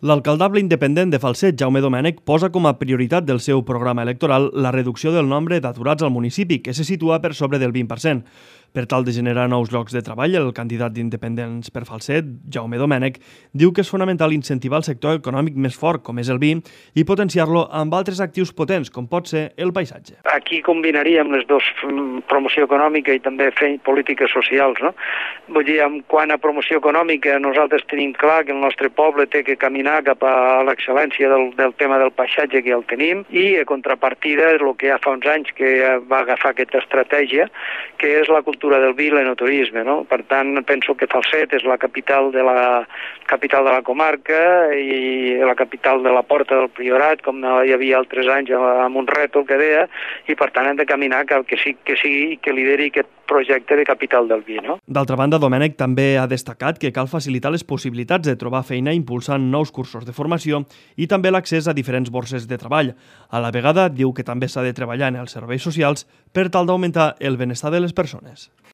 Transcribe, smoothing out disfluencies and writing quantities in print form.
L'alcaldable independent de Falset, Jaume Domènech, posa com a prioritat del seu programa electoral la reducció del nombre d'aturats al municipi, que se situa per sobre del 20%. Per tal de generar nous llocs de treball, el candidat d'Independents per Falset, Jaume Domènech, diu que és fonamental incentivar el sector econòmic més fort, com és el vi, i potenciar-lo amb altres actius potents, com pot ser el paisatge. Aquí combinaríem les dues, promoció econòmica i també fer polítiques socials, no? Vull dir, quant a promoció econòmica, nosaltres tenim clar que el nostre poble té que caminar cap a l'excel·lència del tema del paisatge, que ja el tenim, i a contrapartida és el que ja fa uns anys que va agafar aquesta estratègia, que és la cultura del vi i l'enoturisme, no? Per tant, penso que Falset és la capital de la comarca i la capital de la Porta del Priorat, com hi havia altres anys amb un rètol que deia, i per tant hem de caminar que lideri aquest projecte de capital del vi, no? D'altra banda, Domènech també ha destacat que cal facilitar les possibilitats de trobar feina impulsant nous cursos de formació i també l'accés a diferents borses de treball. A la vegada, diu que també s'ha de treballar en els serveis socials per tal d'augmentar el benestar de les persones.